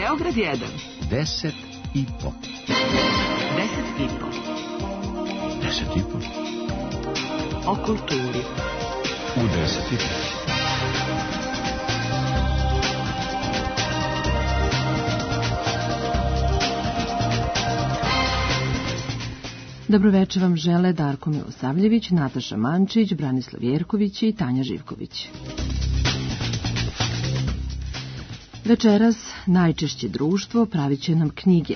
Beograd 1. 10 i po. 10 i po. 10 i po. O kulturi. U 10 i po. Dobroveče vam žele Darko Milosavljević, Nataša Mančić, Branislav Jerković i Tanja Živković. Večeras najčešće društvo pravit će nam knjige,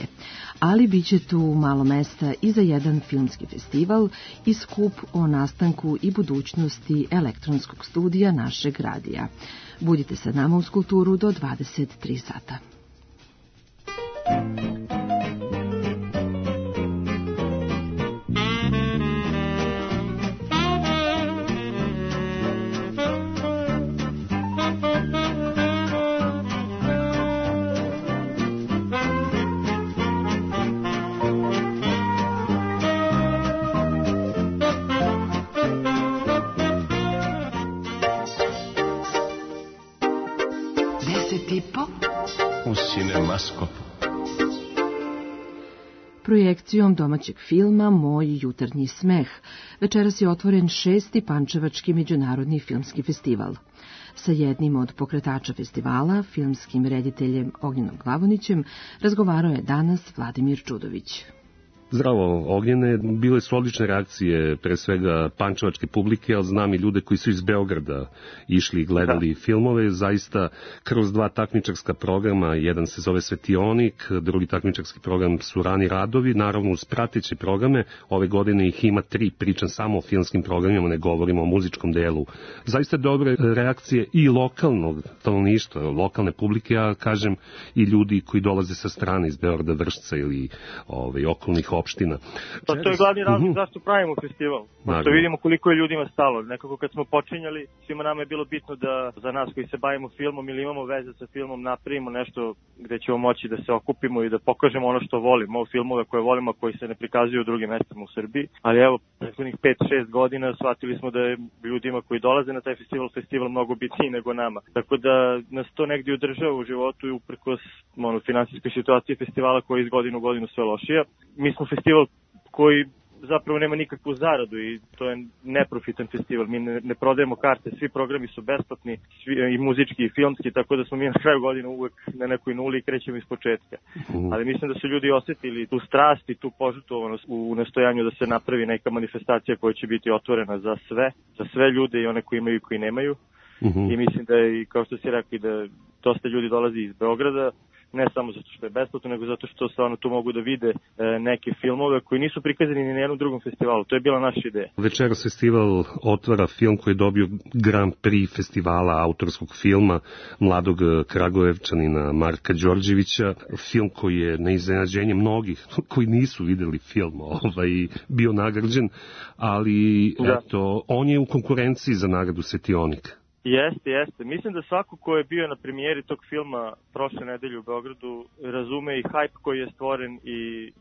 ali bit će tu malo mesta i za jedan filmski festival i skup o nastanku i budućnosti elektronskog studija našeg radija. Budite sa nama uz kulturu do 23 sata. Projekcijom domaćeg filma Moj jutarnji smeh večeras je otvoren 6. Pančevački međunarodni filmski festival. Sa jednim od pokretača festivala, filmskim rediteljem Ognjenom Glavonićem, razgovarao je danas Vladimir Čudović. Zdravo, Ognjene. Bile su odlične reakcije, pre svega pančevačke publike, ali znam i ljude koji su iz Beograda išli i gledali filmove. Zaista kroz dva takmičarska programa, jedan se zove Svetionik, drugi takmičarski program su Rani radovi, naravno uz prateće programe. Ove godine ih ima 3, pričam samo o filmskim programima, ne govorimo o muzičkom delu. Zaista dobre reakcije i lokalnog stanovništva, lokalne publike, ja kažem i ljudi koji dolaze sa strane iz Beograda, Vršca ili okolnih opština. Pa to je glavni razlog zašto pravimo festival. Što vidimo koliko je ljudima stalo. Nekako kad smo počinjali, svima nama je bilo bitno da za nas koji se bavimo filmom ili imamo veze sa filmom napravimo nešto gde ćemo moći da se okupimo i da pokažemo ono što volimo, filmove koje volimo, koji se ne prikazuju u drugim mestima u Srbiji. Ali evo, prethodnih 5-6 godina shvatili smo da je ljudima koji dolaze na taj festival mnogo bitniji nego nama. Tako da nas to negdje održava u životu i uprkos finansijskoj situaciji festivala koja je iz godine u godinu sve lošija. Mi smo festival koji zapravo nema nikakvu zaradu i to je neprofitan festival. Mi ne prodajemo karte, svi programi su besplatni, i muzički i filmski, tako da smo mi na kraju godine uvek na nekoj nuli i krećemo iz početka. Ali mislim da su ljudi osetili tu strast i tu požrtvovanost u nastojanju da se napravi neka manifestacija koja će biti otvorena za sve ljude i one koji imaju i koji nemaju. I mislim da je, kao što si rekli, da dosta ljudi dolazi iz Beograda, ne samo zato što je besplatno, nego zato što stvarno tu mogu da vide neke filmove koji nisu prikazani ni na jednom drugom festivalu. To je bila naša ideja. Večeras festival otvara film koji je dobio Grand Prix festivala autorskog filma mladog Kragujevčanina Marka Đorđevića. Film koji je na iznenađenje mnogih koji nisu videli film bio nagrađen, ali eto, on je u konkurenciji za nagradu Svetionik. Jeste. Mislim da svako ko je bio na premijeri tog filma prošle nedelje u Beogradu razume i hype koji je stvoren i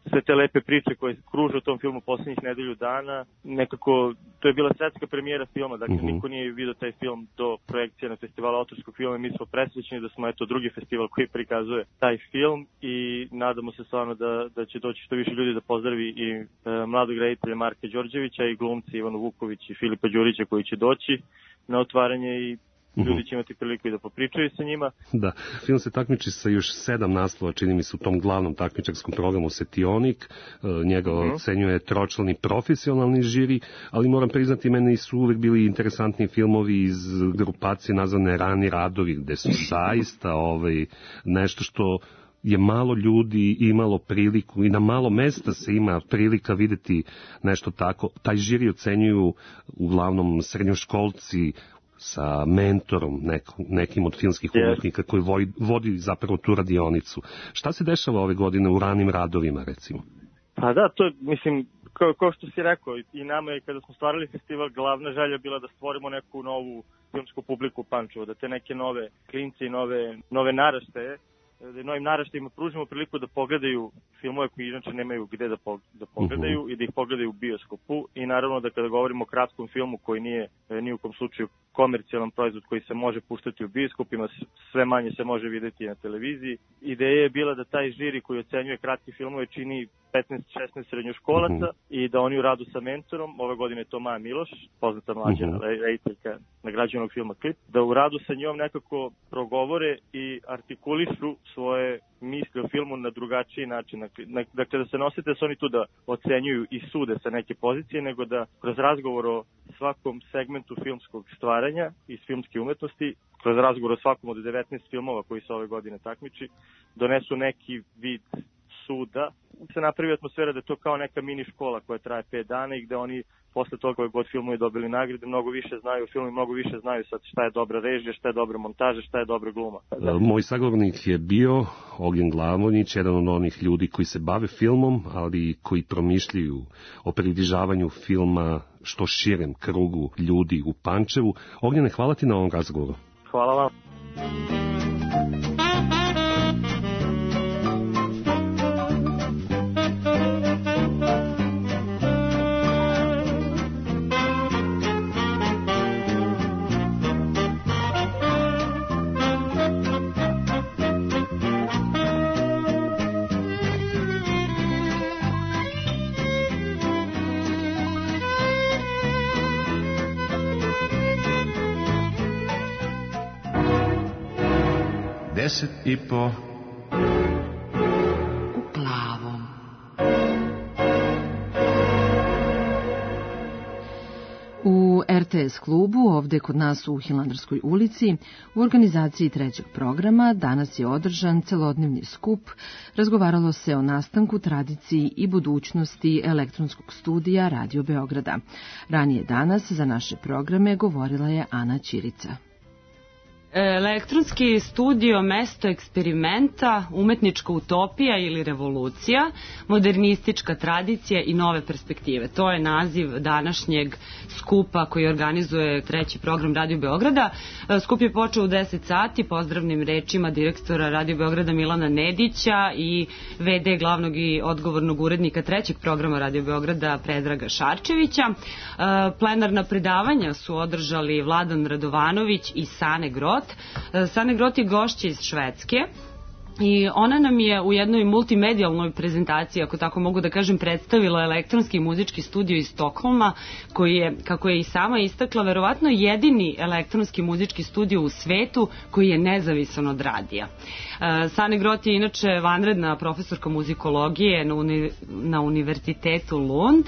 sve te lepe priče koje kruže u tom filmu posljednjih nedelju dana. Nekako, to je bila svetska premijera filma, dakle niko nije vidio taj film do projekcije na festivalu autorskog filma. Mi smo presrećni da smo drugi festival koji prikazuje taj film i nadamo se stvarno da će doći što više ljudi da pozdravi i mladog reditelja Marka Đorđevića i glumci Ivanu Vuković i Filipa Đurića koji će doći na otvaranje i ljudi će imati priliku i da popričaju sa njima. Da, film se takmiči sa još 7 naslova, čini mi se u tom glavnom takmičarskom programu Svetionik. Njega ocenjuje tročlani profesionalni žiri, ali moram priznati, meni su uvek bili interesantni filmovi iz grupacije nazvane Rani radovi, gde su zaista nešto što je malo ljudi imalo priliku i na malo mesta se ima prilika videti nešto tako. Taj žiri ocenjuju uglavnom srednjoškolci sa mentorom nekim od filmskih umetnika koji vodi zapravo tu radionicu. Šta se dešava ove godine u ranim radovima, recimo? Pa da, to mislim, kao što si rekao, i nama je kada smo stvarali festival, glavna želja bila da stvorimo neku novu filmsku publiku u Pančevu, da te neke nove klinci i nove naraštaje novim naraštajima pružimo priliku da pogledaju filmove koji inače nemaju gde da pogledaju i da ih pogledaju u bioskopu. I naravno da kada govorimo o kratkom filmu koji nije ni u kom slučaju komercijalan proizvod koji se može puštati u bioskopima, sve manje se može videti na televiziji. Ideja je bila da taj žiri koji ocenjuje kratke filmove čini 15-16 srednjoškolaca i da oni u radu sa mentorom, ove godine je to Maja Miloš, poznata mlađa rediteljka nagrađenog filma Klip, da u radu sa njom nekako progovore i artikulišu svoje misli o filmu na drugačiji način. Dakle, da se nosite da su oni tu da ocenjuju i sude sa neke pozicije, nego da kroz razgovor o svakom segmentu filmskog stvaranja i filmske umetnosti, kroz razgovor o svakom od 19 filmova koji se ove godine takmiči, donesu neki vid suda. Se napravi atmosfera da je to kao neka mini škola koja traje 5 dana i gde oni posle toga koje god filmovi dobili nagrade, mnogo više znaju o filmu i mnogo više znaju sad šta je dobra režija, šta je dobra montaža, šta je dobra gluma. Moj sagovornik je bio Ognjen Glavonić, jedan od onih ljudi koji se bave filmom, ali koji promišljaju o približavanju filma što širem krugu ljudi u Pančevu. Ognjene, hvala ti na ovom razgovoru. Hvala vam. Deset i po u plavom. U RTS klubu, ovde kod nas u Hilandarskoj ulici, u organizaciji trećeg programa, danas je održan celodnevni skup. Razgovaralo se o nastanku, tradiciji i budućnosti elektronskog studija Radio Beograda. Ranije danas za naše programe govorila je Ana Ćirica. Elektronski studio, mesto eksperimenta, umetnička utopija ili revolucija, modernistička tradicija i nove perspektive. To je naziv današnjeg skupa koji organizuje treći program Radio Beograda. Skup je počeo u 10 sati, pozdravnim rečima direktora Radio Beograda Milana Nedića i VD glavnog i odgovornog urednika trećeg programa Radio Beograda Predraga Šarčevića. Plenarna predavanja su održali Vladan Radovanović i Sane Grot. Sane Grot je gošća iz Švedske i ona nam je u jednoj multimedijalnoj prezentaciji, ako tako mogu da kažem, predstavila elektronski muzički studio iz Stokholma, koji je, kako je i sama istakla, verovatno jedini elektronski muzički studio u svetu koji je nezavisan od radija. Sane Grot je inače vanredna profesorka muzikologije na Univerzitetu Lund,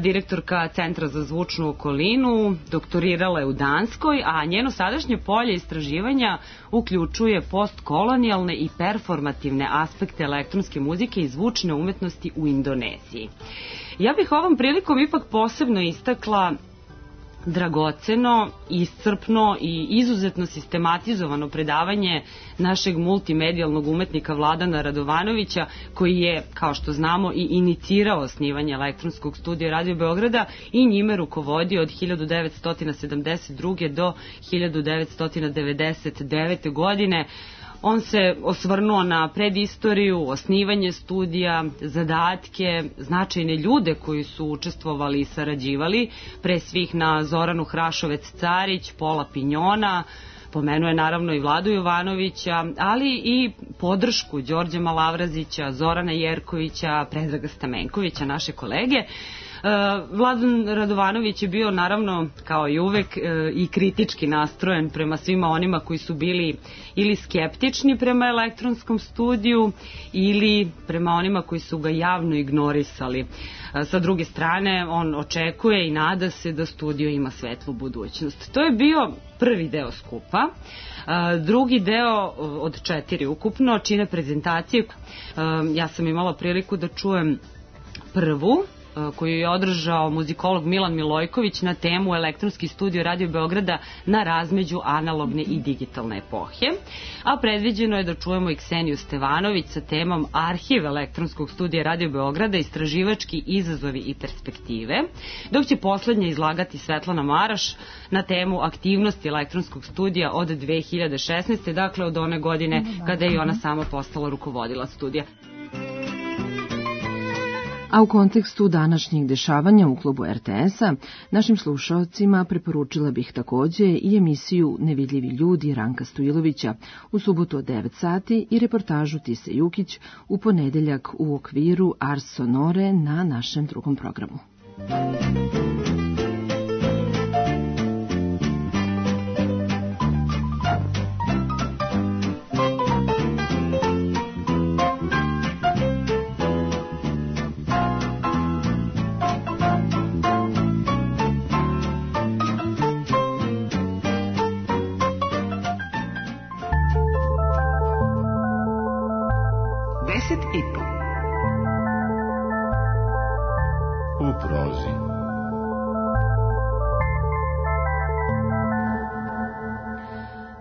direktorka Centra za zvučnu okolinu, doktorirala je u Danskoj, a njeno sadašnje polje istraživanja uključuje postkolonijalne i performativne aspekte elektronske muzike i zvučne umetnosti u Indoneziji. Ja bih ovom prilikom ipak posebno istakla dragoceno, iscrpno i izuzetno sistematizovano predavanje našeg multimedijalnog umetnika Vladana Radovanovića, koji je, kao što znamo, i inicirao osnivanje elektronskog studija Radio Beograda i njime rukovodio od 1972. do 1999. godine. On se osvrnuo na predistoriju, osnivanje studija, zadatke, značajne ljude koji su učestvovali i sarađivali, pre svih na Zoranu Hrašovec-Carić, Pola Pinjona, pomenuo je naravno i Vladu Jovanovića, ali i podršku Đorđa Malavrazića, Zorana Jerkovića, Predraga Stamenkovića, naše kolege. Vladan Radovanović je bio naravno kao i uvek i kritički nastrojen prema svima onima koji su bili ili skeptični prema elektronskom studiju ili prema onima koji su ga javno ignorisali. Sa druge strane, on očekuje i nada se da studio ima svetlu budućnost. To je bio prvi deo skupa. Drugi deo od 4 ukupno čine prezentacije. Ja sam imala priliku da čujem prvu koju je održao muzikolog Milan Milojković na temu Elektronski studio Radio Beograda na razmeđu analogne i digitalne epohe. A predviđeno je da čujemo i Kseniju Stevanović sa temom Arhiv Elektronskog studija Radio Beograda, istraživački izazovi i perspektive, dok će poslednja izlagati Svetlana Maraš na temu aktivnosti elektronskog studija od 2016. Dakle, od one godine kada je ona sama postala rukovodilac studija. A u kontekstu današnjih dešavanja u klubu RTS-a, našim slušalcima preporučila bih takođe i emisiju Nevidljivi ljudi Ranka Stojilovića u subotu od 9 sati i reportažu Tise Jukić u ponedeljak u okviru Ars Sonore na našem drugom programu. U prozi.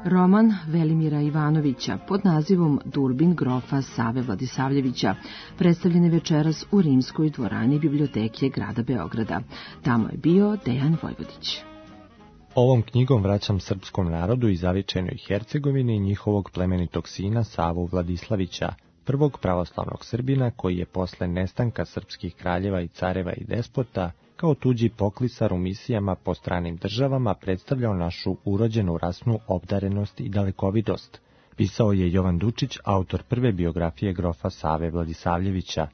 Roman Velimira Ivanovića pod nazivom Durbin grofa Save Vladisavljevića predstavljen je večeras u Rimskoj dvorani biblioteke grada Beograda. Tamo je bio Dejan Vojvodić. Ovom knjigom vraćam srpskom narodu i zavičajnoj Hercegovini njihovog plemenitog sina Savu Vladislavića, prvog pravoslavnog Srbina koji je posle nestanka srpskih kraljeva i careva i despota kao tuđi poklisar u misijama po stranim državama predstavljao našu urođenu rasnu obdarenost i dalekovidost. Pisao je Jovan Dučić, autor prve biografije grofa Save Vladisavljevića.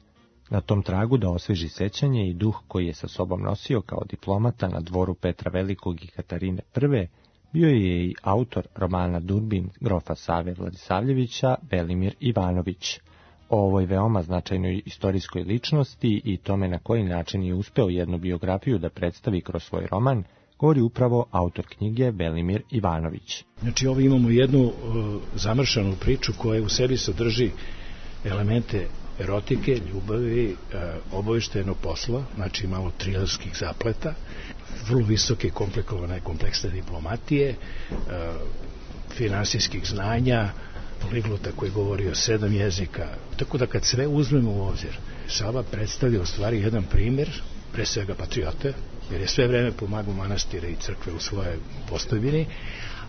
Na tom tragu da osveži sećanje i duh koji je sa sobom nosio kao diplomata na dvoru Petra Velikog i Katarine I, bio je i autor romana Durbin grofa Save Vladisavljevića Velimir Ivanović. O ovoj veoma značajnoj istorijskoj ličnosti i tome na koji način je uspeo jednu biografiju da predstavi kroz svoj roman, govori upravo autor knjige Velimir Ivanović. Znači, ovdje imamo jednu zamršanu priču koja u sebi sadrži elemente erotike, ljubavi, obavještajnog posla, znači malo trilerskih zapleta, vrlo visoke komplikovane kompleksne diplomatije, finansijskih znanja, poliglota koji govori o 7 jezika. Tako da kad sve uzmemo u obzir, Sava predstavlja u stvari jedan primjer, pre svega patriote, jer je sve vreme pomagao manastire i crkve u svojoj postojbini,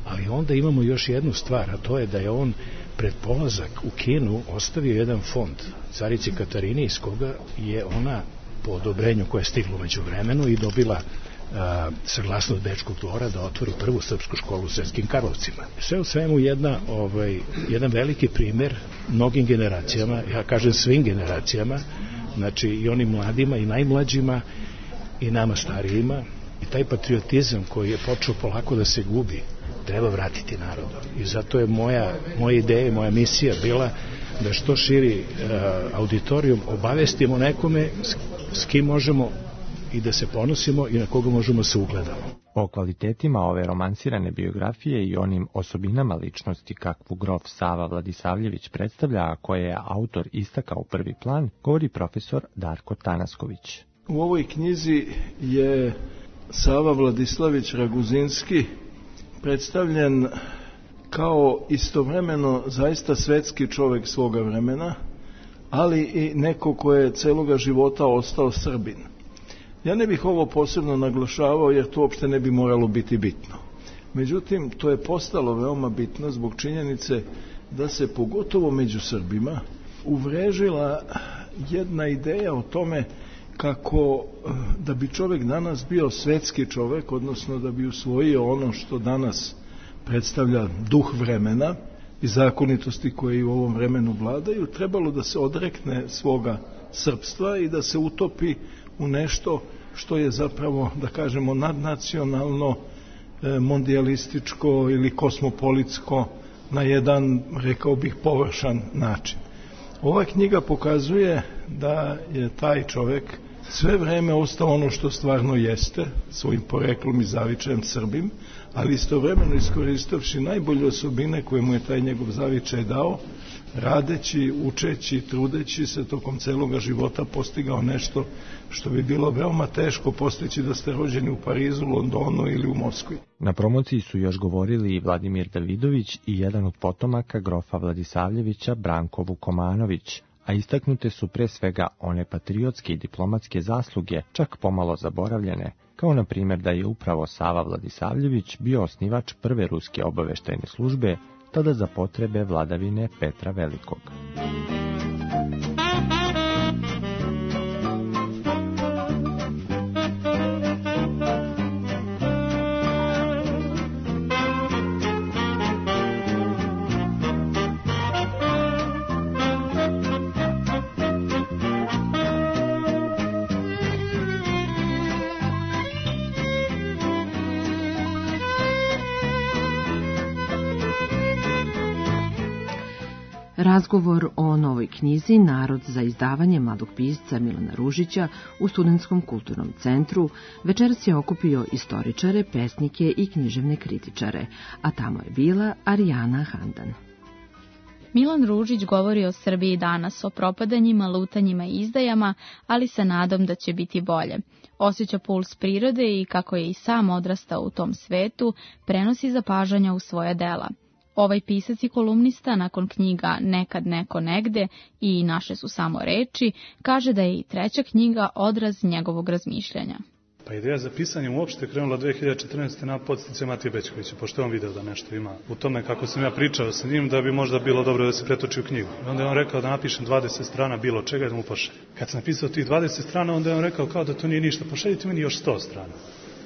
ali onda imamo još jednu stvar, a to je da je on pred polazak u Kinu ostavio jedan fond carici Katarini, iz koga je ona po odobrenju koje je stiglo među vremenu i dobila saglasnost Bečkog dvora da otvori prvu srpsku školu u Sremskim Karlovcima. Sve u svemu jedan veliki primjer mnogim generacijama, ja kažem svim generacijama, znači i onim mladima i najmlađima i nama starijima, i taj patriotizam koji je počeo polako da se gubi treba vratiti narodu. I zato je moja ideja i moja misija bila da što širi auditorijum obavestimo nekome s kim možemo i da se ponosimo i na koga možemo se ugledamo. O kvalitetima ove romansirane biografije i onim osobinama ličnosti kakvu grof Sava Vladisavljević predstavlja, a koje je autor istakao u prvi plan, govori profesor Darko Tanasković. U ovoj knjizi je Sava Vladislavić Raguzinski predstavljen kao istovremeno zaista svetski čovjek svoga vremena, ali i neko ko je celoga života ostao Srbin. Ja ne bih ovo posebno naglašavao jer to uopšte ne bi moralo biti bitno. Međutim, to je postalo veoma bitno zbog činjenice da se pogotovo među Srbima uvrežila jedna ideja o tome kako da bi čovjek danas bio svetski čovjek, odnosno da bi usvojio ono što danas predstavlja duh vremena i zakonitosti koje u ovom vremenu vladaju, trebalo da se odrekne svoga srpstva i da se utopi u nešto što je zapravo, da kažemo, nadnacionalno, mondijalističko ili kosmopolitsko na jedan, rekao bih, površan način. Ova knjiga pokazuje da je taj čovjek sve vreme ostao ono što stvarno jeste, svojim poreklom i zavičajem Srbim, ali istovremeno iskoristivši najbolje osobine koje mu je taj njegov zavičaj dao, radeći, učeći, trudeći se tokom celoga života postigao nešto što bi bilo veoma teško postići da ste rođeni u Parizu, Londonu ili u Moskvi. Na promociji su još govorili i Vladimir Davidović i jedan od potomaka grofa Vladisavljevića, Branko Vukomanović, a istaknute su pre svega one patriotske i diplomatske zasluge, čak pomalo zaboravljene, kao na primjer da je upravo Sava Vladisavljević bio osnivač prve ruske obaveštajne službe, tada za potrebe vladavine Petra Velikog. Razgovor o novoj knjizi Narod za izdavanje mladog pisca Milana Ružića u Studentskom kulturnom centru večeras je okupio istoričare, pesnike i književne kritičare, a tamo je bila Arijana Handan. Milan Ružić govori o Srbiji danas, o propadanjima, lutanjima i izdajama, ali sa nadom da će biti bolje. Osjeća puls prirode i kako je i sam odrastao u tom svetu, prenosi zapažanja u svoja dela. Ovaj pisac i kolumnista nakon knjiga Nekad neko negde i Naše su samo reči, kaže da je i treća knjiga odraz njegovog razmišljanja. Pa ideja za pisanjem uopšte krenula 2014. na podstice Matije Bećkovića, pošto je on video da nešto ima u tome kako sam ja pričao sa njim, da bi možda bilo dobro da se pretoči u knjigu. I onda je on rekao da napišem 20 strana bilo čega da mu pošaljem. Kad sam napisao tih 20 strana, onda je on rekao kao da to nije ništa, pošaljite meni još 100 strana.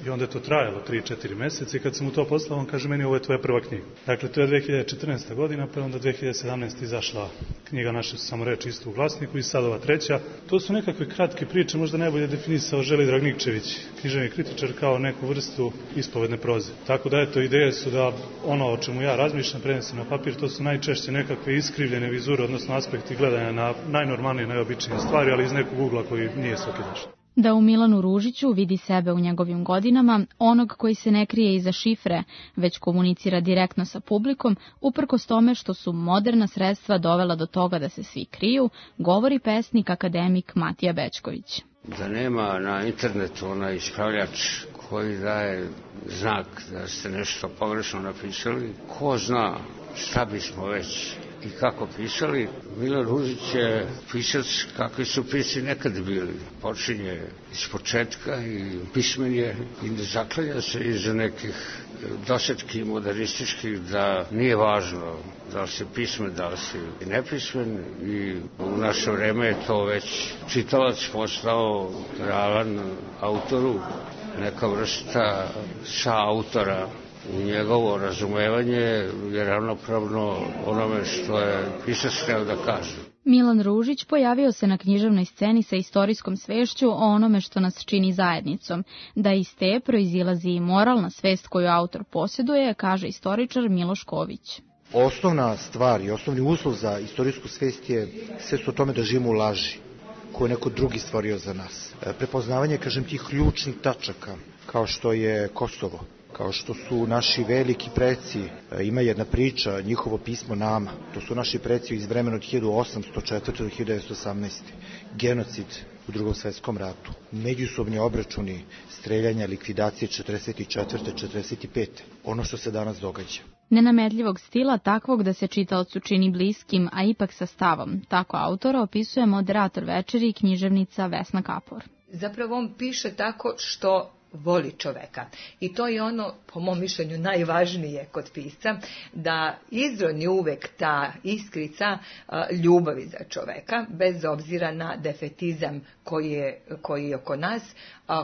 I onda je to trajalo 3-4 meseca i kad sam mu to poslao, on kaže meni ovo je tvoja prva knjiga. Dakle, to je 2014. godina, pa onda 2017. izašla knjiga Naše su samo reči isto u Glasniku i sad ova treća. To su nekakve kratke priče, možda najbolje definisao Želidrag Nikčević, književni kritičar, kao neku vrstu ispovedne proze. Tako da eto, ideje su da ono o čemu ja razmišljam, prenesem na papir, to su najčešće nekakve iskrivljene vizure, odnosno aspekti gledanja na najnormalnije, najobičnije stvari, ali iz nekog ugla koji nije sokidaš. Da u Milanu Ružiću vidi sebe u njegovim godinama, onog koji se ne krije iza šifre, već komunicira direktno sa publikom, uprkos tome što su moderna sredstva dovela do toga da se svi kriju, govori pesnik akademik Matija Bećković. Da nema na internetu onaj ispravljač koji daje znak da ste nešto pogrešno napisali, ko zna šta bismo već i kako pisali. Milan Ružić je pisac kakvi su pisci nekad bili. Počinje iz početka i pismen je i ne zaklanja se iza nekih dosetki modernističkih da nije važno da li si pismen, da li si nepismen i u naše vreme je to već čitalac postao ravan autoru, neka vrsta saautora. Njegovo razumevanje je ravnopravno onome što je pisac hteo da kaže. Milan Ružić pojavio se na književnoj sceni sa istorijskom svešću o onome što nas čini zajednicom. Da iz te proizilazi i moralna svest koju autor posjeduje, kaže istoričar Miloš Ković. Osnovna stvar i osnovni uslov za istorijsku svest je svest o tome da živimo u laži, koju je neko drugi stvorio za nas. Prepoznavanje, kažem, tih ključnih tačaka, kao što je Kosovo, kao što su naši veliki preci, ima jedna priča, njihovo pismo nama, to su naši preci iz vremena od 1804. do 1918. Genocid u Drugom svetskom ratu, međusobni obračuni, streljanja, likvidacije 44. 45. Ono što se danas događa. Nenametljivog stila, takvog da se čitaocu čini bliskim, a ipak sa stavom. Tako autora opisuje moderator večeri i književnica Vesna Kapor. Zapravo on piše tako što voli čoveka. I to je ono, po mom mišljenju, najvažnije kod pisca, da izroni uvek ta iskrica ljubavi za čoveka, bez obzira na defetizam koji je oko nas,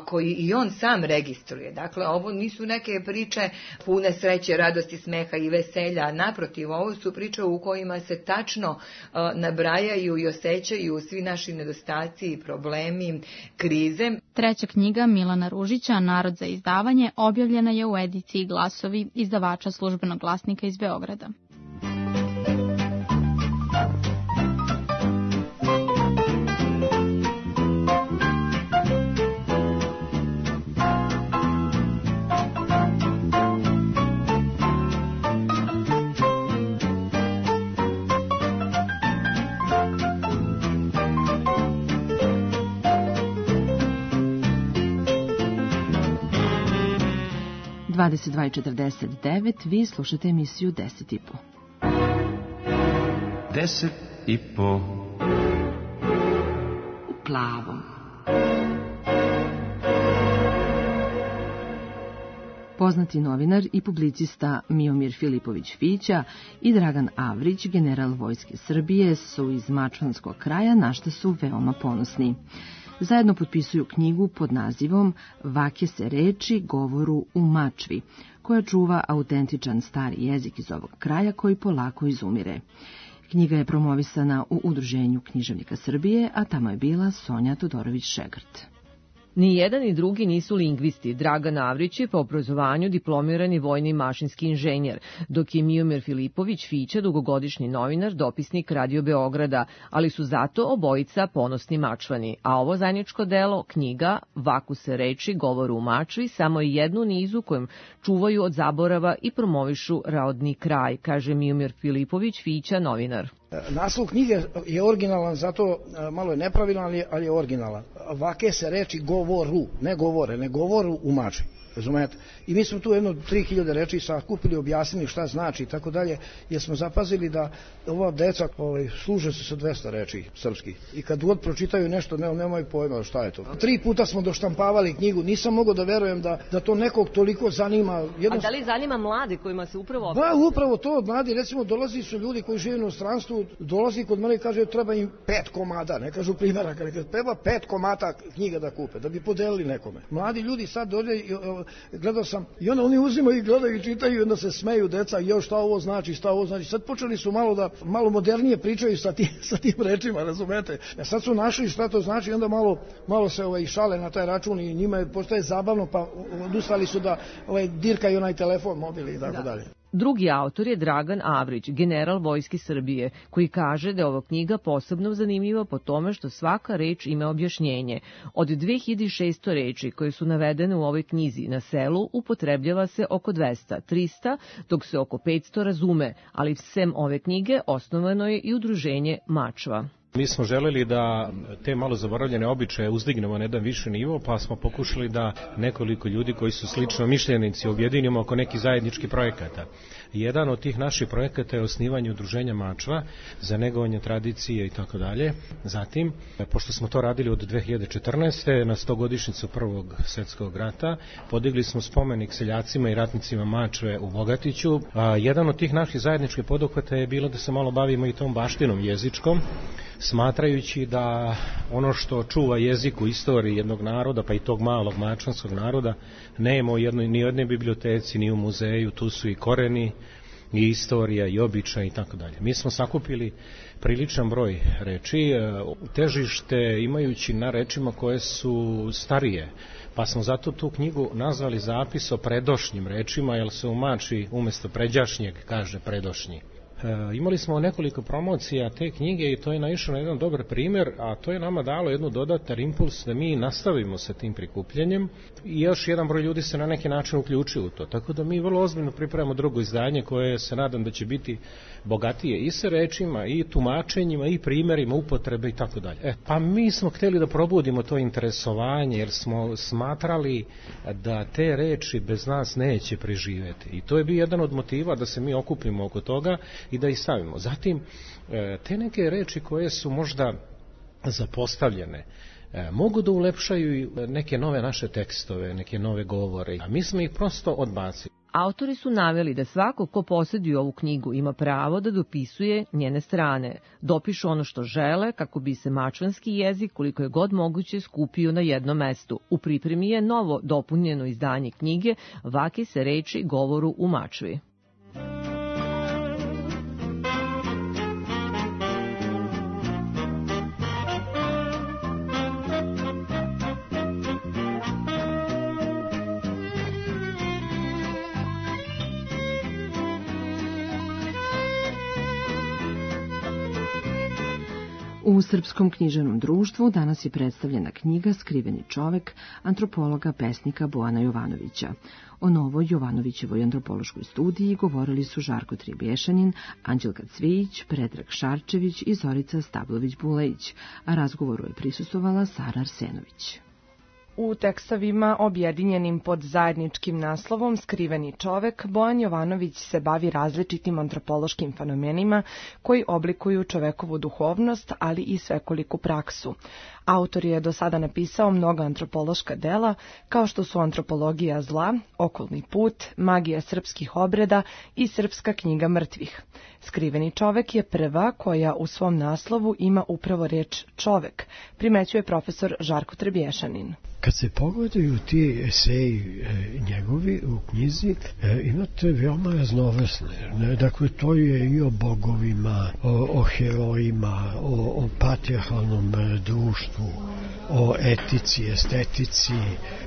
koji i on sam registruje. Dakle, ovo nisu neke priče pune sreće, radosti, smeha i veselja, naprotiv, ovo su priče u kojima se tačno nabrajaju i osjećaju svi naši nedostaci i problemi, krize. Treća knjiga Milana Ružića, Narod za izdavanje, objavljena je u ediciji Glasovi izdavača Službenog glasnika iz Beograda. 22:49, vi slušate emisiju 10 i po. 10 i po. U plavom. Poznati novinar i publicista Miomir Filipović Fića i Dragan Avrić, general Vojske Srbije, su iz mačvanskog kraja, na što su veoma ponosni. Zajedno potpisuju knjigu pod nazivom Vake se reči govoru u Mačvi, koja čuva autentičan stari jezik iz ovog kraja koji polako izumire. Knjiga je promovisana u Udruženju književnika Srbije, a tamo je bila Sonja Todorović-Šegrt. Ni jedan ni drugi nisu lingvisti. Dragan Avrić je po obrazovanju diplomirani vojni mašinski inženjer, dok je Miomir Filipović Fića dugogodišnji novinar, dopisnik Radio Beograda, ali su zato obojica ponosni Mačvani. A ovo zajedničko delo, knjiga Vaku se reči govoru u Mačvi, samo je jednu nizu kojim čuvaju od zaborava i promovišu rodni kraj, kaže Miomir Filipović Fića, novinar. Naslov knjige je originalan, zato malo je nepravilan, ali je originalan. Vake se reči govoru, ne govore, ne govoru u Mačvi. Razumete? I mi smo tu jedno 3000 reči sakupili, objasnili šta znači i tako dalje, jer smo zapazili da ova deca služe se sa 200 reči srpskih. I kad god pročitaju nešto, nemaju pojma šta je to. 3 puta smo doštampavali knjigu, nisam mogao da verujem da to nekog toliko zanima. A da li zanima mlade kojima se upravo... Da, upravo to, mladi, recimo, dolazi su ljudi koji žive u inostranstvu, dolazi kod mene i kaže treba im 5 komada, ne kažu primjeraka, ne kažu, treba 5 komata knjiga da kupe, da bi podelili nekome. Mladi ljudi sad dođe, gledao sam, i onda oni uzimaju i gledaju i čitaju i onda se smeju deca, šta ovo znači, šta ovo znači. Sad počeli su malo modernije pričaju sa tim rečima, razumete? Sad su našli šta to znači i onda malo se šale na taj račun i njima postaje zabavno, pa odustali su da dirkaju onaj telefon, mobil i tako dalje. Drugi autor je Dragan Avrić, general Vojske Srbije, koji kaže da je ova knjiga posebno zanimljiva po tome što svaka reč ima objašnjenje. Od 2600 reči koje su navedene u ovoj knjizi na selu upotrebljava se oko 200-300, dok se oko 500 razume, ali sem ove knjige osnovano je i udruženje Mačva. Mi smo želeli da te malo zaboravljene običaje uzdignemo na jedan viši nivo, pa smo pokušali da nekoliko ljudi koji su slično mišljenici objedinimo oko nekih zajedničkih projekata. Jedan od tih naših projekata je osnivanje udruženja Mačva za negovanje tradicije i tako dalje. Zatim, pošto smo to radili od 2014. na 100-godišnjicu Prvog svjetskog rata, podigli smo spomenik seljacima i ratnicima Mačve u Bogatiću. Jedan od tih naših zajedničkih poduhvata je bilo da se malo bavimo i tom baštinom jezičkom, smatrajući da ono što čuva jezik u istoriji jednog naroda, pa i tog malog mačvanskog naroda, nema ni u jednoj biblioteci, ni u muzeju, tu su i koreni, i istorija, i običaj, i tako dalje. Mi smo sakupili priličan broj reči, težište imajući na rečima koje su starije, pa smo zato tu knjigu nazvali Zapis o predošnjim rečima, jer se u Mačvi umjesto pređašnjeg kaže predošnji. Imali smo nekoliko promocija te knjige i to je naišao na jedan dobar primjer, a to je nama dalo jednu dodatan impuls da mi nastavimo sa tim prikupljanjem i još jedan broj ljudi se na neki način uključio u to. Tako da mi vrlo ozbiljno pripremamo drugo izdanje koje se nadam da će biti bogatije i sa rečima i tumačenjima i primjerima upotrebe i tako dalje. Pa mi smo htjeli da probudimo to interesovanje jer smo smatrali da te reči bez nas neće preživjeti i to je bio jedan od motiva da se mi okupimo oko toga i da ih stavimo. Zatim, te neke reči koje su možda zapostavljene, mogu da ulepšaju neke nove naše tekstove, neke nove govore, a mi smo ih prosto odbacili. Autori su naveli da svako ko posjeduje ovu knjigu ima pravo da dopisuje njene strane, dopišu ono što žele kako bi se mačvanski jezik koliko je god moguće skupio na jednom mestu. U pripremi je novo dopunjeno izdanje knjige Vake se reči govoru u Mačvi. U Srpskom književnom društvu danas je predstavljena knjiga Skriveni čovek antropologa pesnika Bojana Jovanovića. O novoj Jovanovićevoj antropološkoj studiji govorili su Žarko Tribješanin, Anđelka Cvijić, Predrag Šarčević i Zorica Stablović-Bulejić, a razgovoru je prisustvovala Sara Arsenović. U tekstovima objedinjenim pod zajedničkim naslovom Skriveni čovek, Bojan Jovanović se bavi različitim antropološkim fenomenima koji oblikuju čovekovu duhovnost, ali i svekoliku praksu. Autor je do sada napisao mnoga antropološka dela, kao što su Antropologija zla, Okolni put, Magija srpskih obreda i Srpska knjiga mrtvih. Skriveni čovek je prva koja u svom naslovu ima upravo reč čovek, primećuje profesor Žarko Trebješanin. Kad se pogledaju ti eseji njegovi u knjizi, imate veoma raznovrsne. Dakle, to je i o bogovima, o herojima, o patrijarhalnom društvu, o etici, estetici,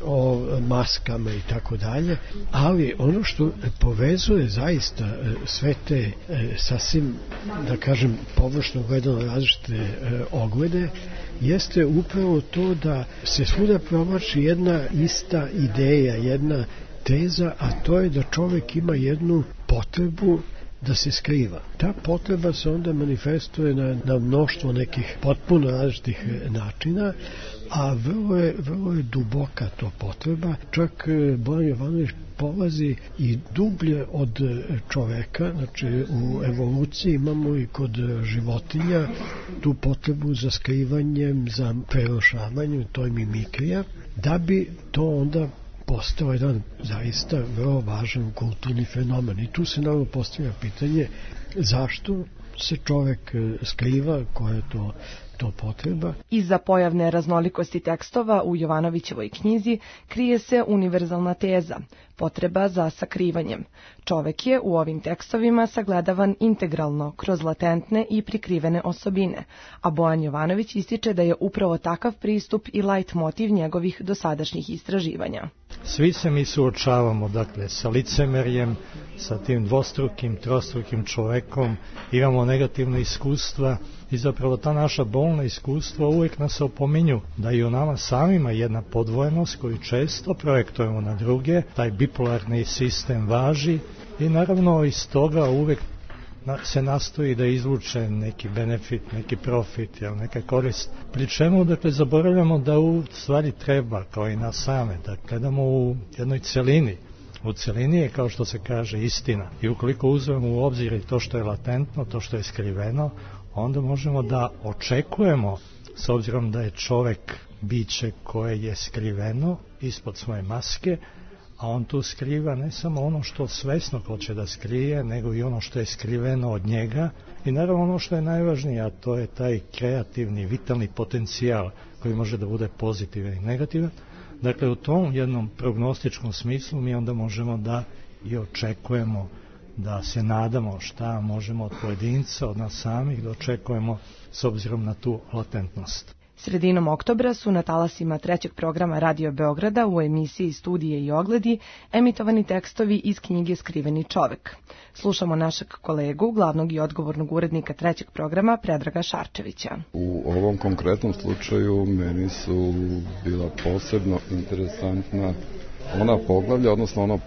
o maskama i tako dalje. Ali ono što povezuje zaista sve te sasvim, da kažem, površno gledano različite oglede, jeste upravo to da se svuda provlači jedna ista ideja, jedna teza, a to je da čovjek ima jednu potrebu da se skriva. Ta potreba se onda manifestuje na mnoštvo nekih potpuno različitih načina, a vrlo je duboka to potreba. Čak Bojan Jovanović polazi i dublje od čoveka, znači u evoluciji imamo i kod životinja tu potrebu za skrivanjem, za prerušavanjem, to je mimikrija, da bi to onda postao jedan zaista vrlo važan kulturni fenomen. I tu se naravno postavlja pitanje zašto se čovek skriva, koja je to potreba. Iza pojavne raznolikosti tekstova u Jovanovićevoj knjizi krije se univerzalna teza, potreba za sakrivanjem. Čovek je u ovim tekstovima sagledavan integralno, kroz latentne i prikrivene osobine, a Bojan Jovanović ističe da je upravo takav pristup i lajt motiv njegovih dosadašnjih istraživanja. Svi se mi suočavamo, dakle, sa licemerjem, sa tim dvostrukim, trostrukim čovekom, imamo negativne iskustva i zapravo ta naša bolna iskustva uvijek nas opominju da i u nama samima jedna podvojenost koju često projektujemo na druge, taj bipolarni sistem važi i naravno iz toga uvijek se nastoji da izvuče neki benefit, neki profit, neka korist. Pri čemu, dakle, zaboravljamo da u stvari treba, kao i nas same, da gledamo u jednoj celini. U celini je, kao što se kaže, istina. I ukoliko uzmemo u obzir i to što je latentno, to što je skriveno, onda možemo da očekujemo, s obzirom da je čovek biće koje je skriveno ispod svoje maske, a on tu skriva ne samo ono što svesno hoće da skrije, nego i ono što je skriveno od njega i naravno ono što je najvažnije, a to je taj kreativni, vitalni potencijal koji može da bude pozitivan i negativan. Dakle, u tom jednom prognostičkom smislu mi onda možemo da i očekujemo, da se nadamo šta možemo od pojedinca, od nas samih, da očekujemo s obzirom na tu latentnost. Sredinom oktobra su na talasima trećeg programa Radio Beograda u emisiji Studije i ogledi emitovani tekstovi iz knjige Skriveni čovek. Slušamo našeg kolegu, glavnog i odgovornog urednika trećeg programa, Predraga Šarčevića. U ovom konkretnom slučaju meni su bila posebno interesantna ona poglavlja, odnosno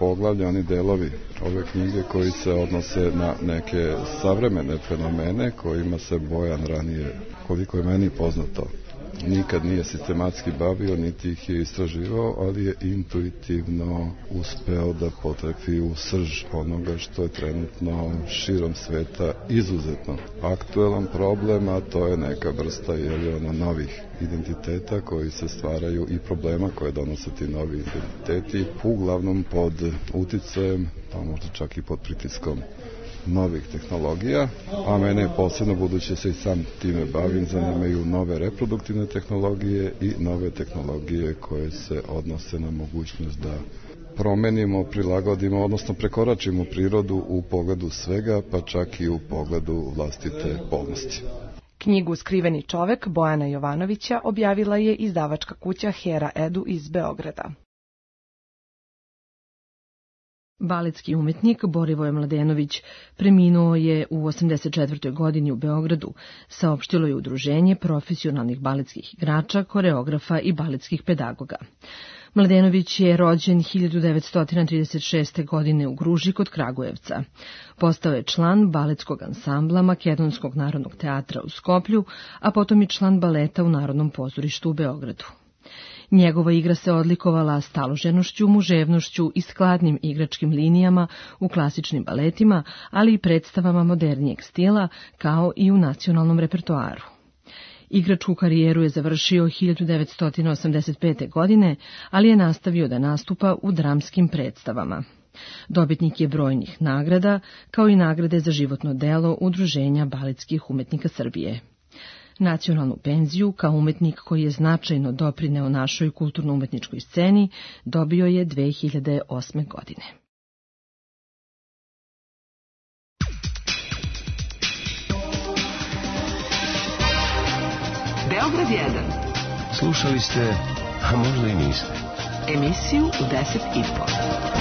oni delovi ove knjige koji se odnose na neke savremene fenomene kojima se Bojan ranije, koliko je meni poznato, nikad nije sistematski bavio, niti ih je istraživao, ali je intuitivno uspeo da potrefi u srž onoga što je trenutno širom sveta izuzetno aktuelan problem, a to je neka vrsta novih identiteta koji se stvaraju i problema koje donose ti novi identiteti, uglavnom pod uticajem, pa možda čak i pod pritiskom novih tehnologija, a mene posebno, budući se i sam time bavim, zanimaju nove reproduktivne tehnologije i nove tehnologije koje se odnose na mogućnost da promenimo, prilagodimo, odnosno prekoračimo prirodu u pogledu svega, pa čak i u pogledu vlastite polnosti. Knjigu Skriveni čovek Bojana Jovanovića objavila je izdavačka kuća Hera Edu iz Beograda. Baletski umetnik Borivoje Mladenović preminuo je u 84. godini u Beogradu, saopštilo je Udruženje profesionalnih baletskih igrača, koreografa i baletskih pedagoga. Mladenović je rođen 1936. godine u Gruži kod Kragujevca. Postao je član baletskog ansambla Makedonskog narodnog teatra u Skoplju, a potom i član baleta u Narodnom pozorištu u Beogradu. Njegova igra se odlikovala staloženošću, muževnošću i skladnim igračkim linijama u klasičnim baletima, ali i predstavama modernijeg stila, kao i u nacionalnom repertoaru. Igračku karijeru je završio 1985. godine, ali je nastavio da nastupa u dramskim predstavama. Dobitnik je brojnih nagrada, kao i nagrade za životno delo Udruženja baletskih umetnika Srbije. Nacionalnu penziju, kao umetnik koji je značajno doprineo našoj kulturno-umetničkoj sceni, dobio je 2008. godine. Beograd 1. Slušali ste, a možda i niste. Emisiju u 10:30.